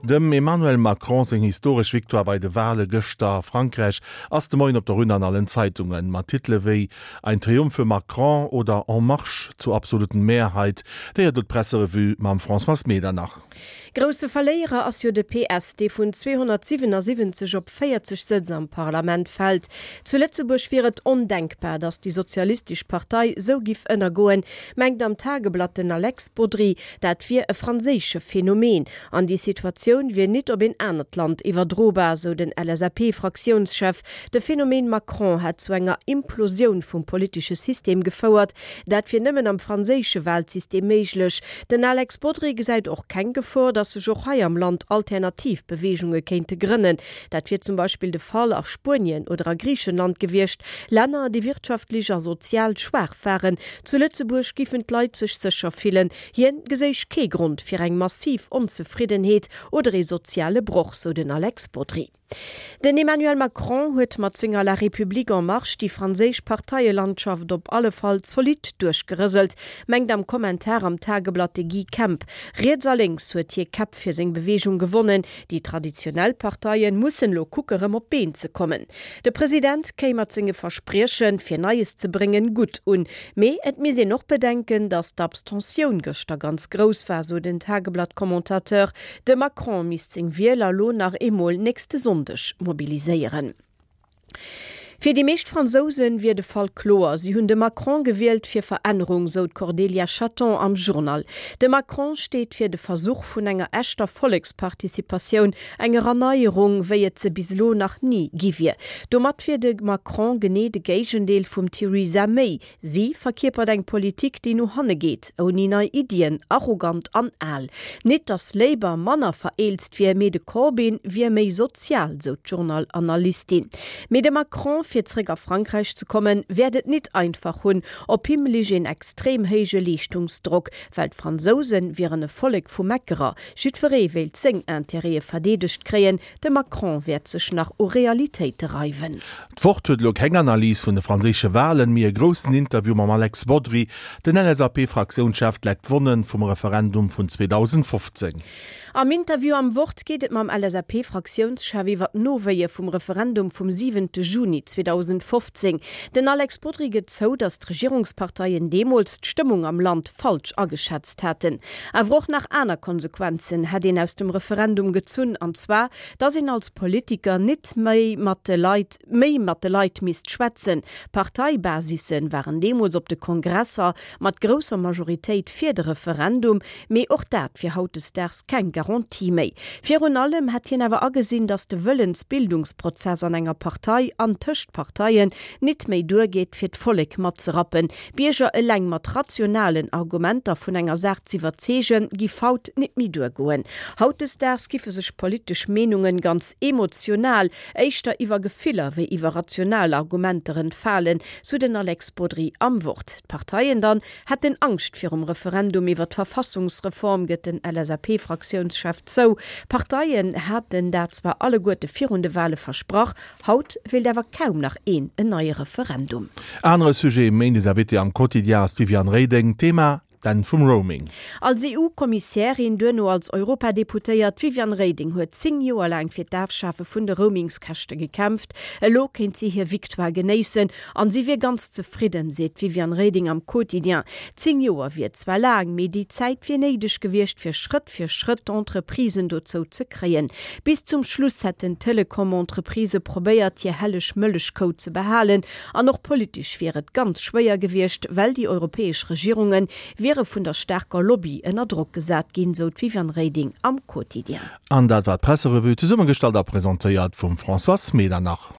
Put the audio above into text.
Dem Emmanuel Macron seng historesch Victoire bei de Wale gëschter a Frankräich ass de Moien op der Une an allen Zeitungen. Mat Titele wéi Ein Triumph für Macron oder En marche zur absoluten Mehrheit. Déi huet elo d'Presserevue mam Françoise Medernach. Grousse Verléierer ass jo de PS, dee vun 277 op 40 Sëtz am Parlament fält. Zu Lëtzebuerg wier et ondenkbar, datt déi sozialistesch Partei sou giff ënnergoen, mengt am Tageblatt den Alex Bodry. Dat wier e franséische Phänomen an déi Situatioun wier nit op een anert Land iwwerdrobar, sou den LSAP-Fraktiounschef. De Phänomen Macron hätt zu enger Implosioun vum politesche System gefouert. Dat wier nëmmen am franséische Walsystem méiglech. Den Alex Bodry gesäit och keng Gefor, datt sech och hei am Land alternativ Beweegunge kéinte grënnen. Dat wier zum Beispill de Fall a Spuenien oder a Griichenland gewiescht, Länner, déi wirtschaftlech a sozial schwaach waren. Zu Lëtzebuerg giffen d'Leit sech sécher fillen. Hien geséich kee Grond fir eng massiv Onzefriddenheet oder ee soziale Broch, sou den Alex Bodry. Den Emmanuel Macron huet mat senger La République en marche déi franséisch Parteielandschaft op alle Fall zolidd duerchgerëselt, mengt am Kommentar am Tageblatt de Guy Kemp. Riets a lénks huet hie Käpp fir seng Beweegung gewonnen. Déi traditionell Parteien mussen elo kucke rëm op d'Been ze kommen. De President kéim mat senge Verspriechen, fir Neies ze bréngen, gutt un. Mee et misst een och bedenken, datt d'Abstentioun gëschter ganz grouss war, sou den Tageblatt-Commentateur. De Macron misst seng Wieler lo nach eemol nächste Sonndeg mobiliséieren. Fir déi meescht Fransouse wier de Fall kloer, si hunn de Macron gewielt fir Verännerung, sou d'Cordélia Chaton am Journal. De Macron steet fir de Versuch vun enger echter Volleksparticipatioun, enger Erneierung, wéi et se bis elo nach ni gi wier. Domat wier de Macron genee de Géigendeel vum Theresa May, Si verkierpert eng Politik, déi no hanne geet, ouni nei Iddien, arrogant an al. Nit datt Labour manner vereelzt wier, mee de Corbyn wier méi sozial, sou d'Journal-Analystin. Mee de Macron, fir zréck a Frankräich ze kommen, wäert et nit einfach hunn. Op him lich een extrem héije Leeschtungsdrock, well d'Fransouse wieren e Vollek vu Meckerer. Jiddweree wéilt seng Interêtë verdeedegt kréien. De Macron wäert sech nach u Realitéite reiwen. D'Wort huet elo keng Analys vun de franséische Walen, mee e groussen Interview mam Alex Bodry. Den LSAP-Fraktiounschef leckt d'Wonne vum Referendum vun 2015. Am Interview am Wort geet et mam LSAP-Fraktiounschef iwwer d'Nowéie vum Referendum vum siwente Juni 2015. Den Alex Bodry gëtt zou, datt d'Regierungsparteien deemools d'Stëmmung am Land falsch ageschätzt haten. Awer och nach aner Konsequenzen hätt een aus dem Referendum gezunn, an zwar, dass een als Politiker nit méi mat de Leit méi mat de Leit misst schwätzen. Parteibasisse waren deemools op de Kongresser mat grousser Majoritéit fir de Referendum, mee och dat wier hautdesdaags keng Garantie méi. Virun allem hätt hien awer agesinn, dass de Wëllensbildungsprozess an enger Partei an tëscht Parteien nit méi duergeet, fir d'Vollek matzerappen. D'Bierger eleng mat rationalen Argumenter vun enger Saach z'iwwerzeegen, giff haut nit méi duergoen. Hautdesdaags giffe sech politesch Meenungen ganz emotional, éischter iwwer Gefiller wéi iwwer rational Argumenter entfalen, sou den Alex Bodry am Wort. D'Parteien dann hätten Angscht virum Referendum iwwer d'Verfassungsreform, gëtt den LSAP-Fraktiounschef zou. D'Parteien haten dat zwar alleguerte virun de Wale versprach, Haut wéilt awer kaum nach een en neie Referendum. Anere Sujet, Méindes Invitée am Quotidien ass d'Viviane Reding. Thema, D'Enn vum Roaming. Als EU-Kommissärin, duerno als Europadeputéiert, d'Viviane Reding huet 10 Joer laang fir d'Afschafe vun de Roamingskäschte gekämpft. Elo kéint si hir Victoire genéissen an si wier ganz zefridden, seet d'Viviane Reding am Quotidien. 10 Joer wier zwar laang, mee déi Zäit wier néideg gewiescht, fir Schrëtt fir Schrëtt d'Entreprisen dozou ze kréien. Bis zum Schluss hätten d'Telekom-Entreprisë probéiert, hir helleg Mëllechkou ze behalen. An och politesch wier et ganz schwéier gewiescht, well déi europäesch Regierunge wiere vun der staarker Lobby ënner Drock gesat ginn, sou d'Viviane Reding am Quotidien. An dat war d'Presserevue, zesummegestallt a presentéiert vum Françoise Medernach.